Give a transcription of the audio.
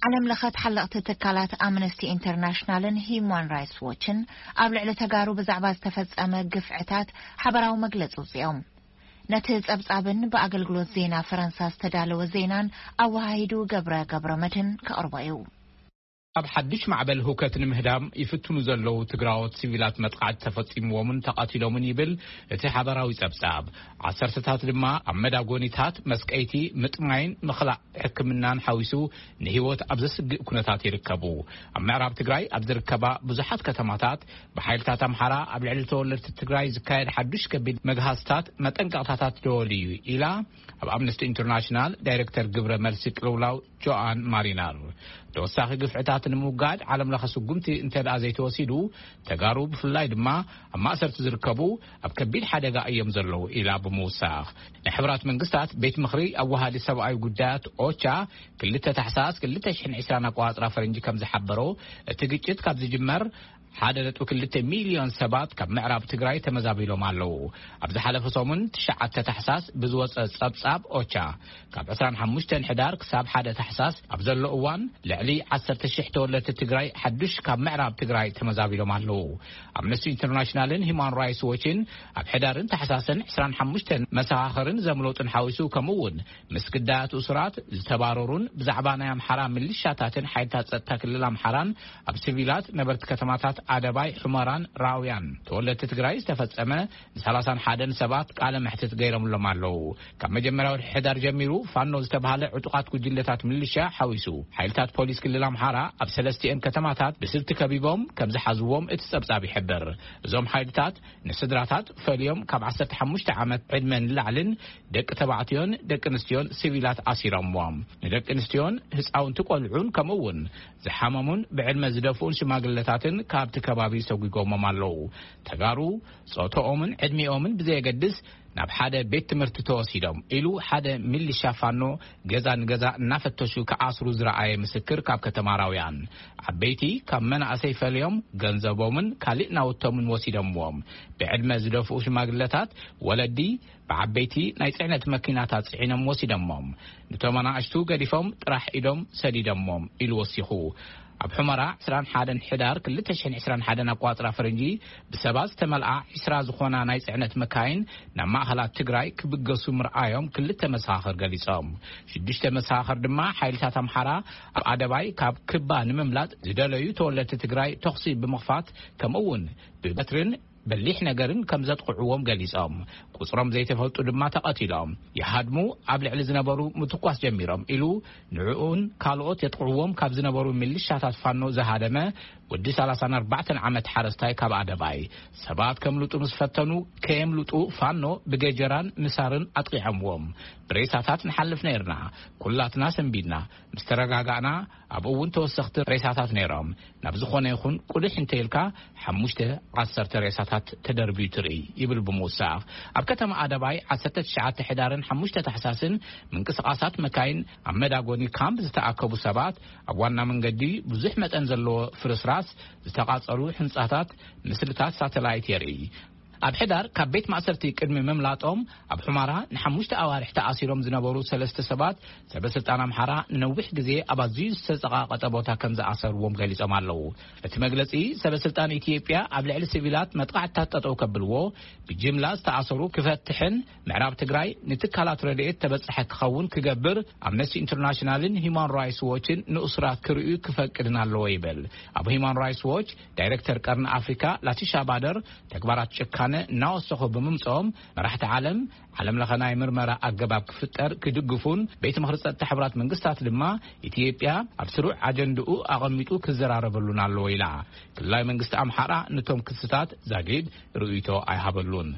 ዓለም ለኸ ተሓለቕቲ ትካላት ኣምነስቲ ኢንተርናሽናልን ሂዩማን ራይትስ ዎችን ኣብ ልዕሊ ተጋሩ ብዛዕባ ዝተፈጸመ ግፍዕታት ሓበራዊ መግለጺ ኣውጺኦም። ነቲ ጸብጻብን ብኣገልግሎት ዜና ፈረንሳ ዝተዳለወ ዜናን ኣወሃሂዱ ገብረ ገብረ መድህን ከቕርቦ እዩ። ኣብ ሓድሽ ማዕበል ህውከት ንምህዳም ይፍትኑ ዘለዉ ትግራዎት ሲቪላት መጥቃዕቲ ተፈጺምዎምን ተቓቲሎምን ይብል እቲ ሓበራዊ ጸብጻብ። ዓሰርተታት ድማ ኣብ መዳጎኒታት፣ መስቀይቲ፣ ምጥማይን ምኽላእ ሕክምናን ሓዊሱ ንህይወት ኣብ ዘስግእ ኩነታት ይርከቡ። ኣብ ምዕራብ ትግራይ ኣብ ዝርከባ ብዙሓት ከተማታት ብሓይልታት ኣምሓራ ኣብ ልዕሊ ተወለድቲ ትግራይ ዝካየድ ሓዱሽ ከቢድ መግሃስታት መጠንቀቕታታት ደወል እዩ ኢላ ኣብ ኣምነስቲ ኢንተርናሽናል ዳይሬክተር ግብረ መልሲ ቅልውላው ጆኣን ማሪናር። ተወሳኺ ግፍዕታት ንምውጋድ ዓለም ለኸ ስጉምቲ እንተ ደኣ ዘይተወሲዱ፣ ተጋሩ ብፍላይ ድማ ኣብ ማእሰርቲ ዝርከቡ ኣብ ከቢድ ሓደጋ እዮም ዘለዉ ኢላ ብምውሳኽ፣ ናይ ሕብራት መንግስታት ቤት ምኽሪ ኣዋሃዲ ሰብኣዊ ጉዳያት ኦቻ ክልተ ታሕሳስ ክልተ ሽሕን ዕስራን ኣቆጻጽራ ፈረንጂ ከም ዝሓበሮ፣ እቲ ግጭት ካብ ዝጅመር ሓደ ነጥቢ ክልተ ሚልዮን ሰባት ካብ ምዕራብ ትግራይ ተመዛቢሎም ኣለዉ። ኣብ ዝሓለፈ ሰሙን ትሽዓተ ታሕሳስ ብዝወጸ ጸብጻብ ኦቻ፣ ካብ ዕስራን ሓሙሽተን ሕዳር ክሳብ ሓደ ታሕሳስ ኣብ ዘሎ እዋን ልዕሊ ዓሰርተ ሽሕ ተወለድቲ ትግራይ ሓዱሽ ካብ ምዕራብ ትግራይ ተመዛቢሎም ኣለዉ። ኣምነስቲ ኢንተርናሽናልን ሂማን ራይትስ ዎችን ኣብ ሕዳርን ታሕሳስን ዕስራን ሓሙሽተን መሰኻኽርን ዘምለጡን ሓዊሱ፣ ከምኡ እውን ምስ ግዳያት እሱራት ዝተባረሩን ብዛዕባ ናይ ኣምሓራ ምልሻታትን ሓይልታት ጸጥታ ክልል ኣምሓራን ኣብ ሲቪላት ነበርቲ ከተማታት ኣደባይ፣ ሑመራን ራውያን ተወለድቲ ትግራይ ዝተፈጸመ ንሰላሳን ሓደን ሰባት ቃለ መሕትት ገይሮምሎም ኣለዉ። ካብ መጀመርያ ወርሒ ሕዳር ጀሚሩ ፋኖ ዝተባህለ ዕጡቓት ጉጅለታት ምልሻ ሓዊሱ ሓይልታት ፖሊስ ክልል ኣምሓራ ኣብ ሰለስቲኤን ከተማታት ብስልቲ ከቢቦም ከም ዝሓዝዎም እቲ ጸብጻብ ይሕብር። እዞም ሓይልታት ንስድራታት ፈልዮም ካብ ዓሰርተ ሓሙሽተ ዓመት ዕድመ ንላዕልን ደቂ ተባዕትዮን ደቂ ኣንስትዮን ሲቪላት ኣሲሮምዎም። ንደቂ ኣንስትዮን ህፃውንቲ ቆልዑን ከምኡ እውን ዝሓመሙን ብዕድመ ዝደፍኡን ሽማግለታትን ካብቲ ከባቢ ሰጒጎሞም ኣለዉ። ተጋሩ ጾታኦምን ዕድሚኦምን ብዘየገድስ ናብ ሓደ ቤት ትምህርቲ ተወሲዶም ኢሉ ሓደ ሚሊሻ ፋኖ ገዛ ንገዛ እናፈተሹ ክኣስሩ ዝረኣየ ምስክር ካብ ከተማ ራውያን። ዓበይቲ ካብ መናእሰይ ፈልዮም ገንዘቦምን ካሊእ ናውቶምን ወሲዶምዎም። ብዕድመ ዝደፍኡ ሽማግለታት ወለዲ ብዓበይቲ ናይ ጽዕነት መኪናታት ጽዒኖም ወሲዶሞም። ንቶም ኣናእሽቱ ገዲፎም ጥራሕ ኢዶም ሰዲዶሞም ኢሉ ወሲኹ። ኣብ ሑመራ ዕስራን ሓደን ሕዳር ክልተ ሽሕን ዕስራን ሓደን ኣቋጽራ ፈረንጂ ብሰባት ዝተመልኣ ዕስራ ዝኾና ናይ ጽዕነት መካይን ናብ ማእኸላት ትግራይ ክብገሱ ምርኣዮም ክልተ መሰኻኽር ገሊጾም። ሽዱሽተ መሰኻኽር ድማ ሓይልታት ኣምሓራ ኣብ ኣደባይ ካብ ክባ ንምምላጥ ዝደለዩ ተወለድቲ ትግራይ ተኹሲ ብምኽፋት ከምኡ እውን ብበትርን በሊሕ ነገርን ከም ዘጥቕዕዎም ገሊጾም። ቁጽሮም ዘይተፈልጡ ድማ ተቐቲሎም። ይሃድሙ ኣብ ልዕሊ ዝነበሩ ምትኳስ ጀሚሮም ኢሉ ንዕኡን ካልኦት የጥቕዕዎም ካብ ዝነበሩ ሚሊሻታት ፋኖ ዝሃደመ ወዲ ሰላሳን ኣርባዕተን ዓመት ሓረስታይ ካብ ኣደባይ ሰባት ከምልጡ ምስ ፈተኑ ከየምልጡ ፋኖ ብገጀራን ምሳርን ኣጥቒዖምዎም። ብሬሳታት ንሓልፍ ነይርና። ኩላትና ሰንቢድና። ምስ ተረጋጋእና ኣብኡ እውን ተወሰኽቲ ሬሳታት ነይሮም። ናብ ዝኾነ ይኹን ቁድሕ እንተኢልካ ሓሙሽተ ዓሰርተ ሬሳታት ተደርብዩ ትርኢ ይብል ብምውሳኽ። ኣብ ከተማ ኣደባይ ዓሰርተ ትሽዓተ ሕዳርን ሓሙሽተ ታሕሳስን ምንቅስቓሳት መካይን ኣብ መዳጎኒ ካምፕ ዝተኣከቡ ሰባት ኣብ ዋና መንገዲ ብዙሕ መጠን ዘለዎ ፍርስራስ ዝተቓጸሉ ሕንጻታት ምስልታት ሳተላይት የርኢ። ኣብ ሕዳር ካብ ቤት ማእሰርቲ ቅድሚ ምምላጦም ኣብ ሑማራ ንሓሙሽተ ኣዋርሕ ተኣሲሮም ዝነበሩ ሰለስተ ሰባት ሰበ ስልጣን ኣምሓራ ንነዊሕ ግዜ ኣብ ኣዝዩ ዝተጸቓቐጠ ቦታ ከም ዝኣሰርዎም ገሊጾም ኣለዉ። እቲ መግለጺ ሰበ ስልጣን ኢትዮጵያ ኣብ ልዕሊ ሲቪላት መጥቓዕትታት ጠጠው ከብልዎ፣ ብጅምላ ዝተኣሰሩ ክፈትሕን ምዕራብ ትግራይ ንትካላት ረድኤት ተበጻሒ ክኸውን ክገብር ኣምነስቲ ኢንተርናሽናልን ሂማን ራይትስ ዎችን ንእሱራት ክርእዩ ክፈቅድን ኣለዎ ይብል። ኣብ ሂማን ራይትስ ዎች ዳይሬክተር ቀርኒ ኣፍሪካ ላቲሻ ባደር ተግባራት ጭካነ እናወሰኹ ብምምፅኦም መራሕቲ ዓለም ዓለም ለኸ ናይ ምርመራ ኣገባብ ክፍጠር ክድግፉን ቤት ምኽሪ ጸጥታ ሕብራት መንግስታት ድማ ኢትዮጵያ ኣብ ስሩዕ ኣጀንድኡ ኣቐሚጡ ክዘራረበሉን ኣለዎ ኢላ። ክልላዊ መንግስቲ ኣምሓራ ነቶም ክስታት ዛጊድ ርእይቶ ኣይሃበሉን።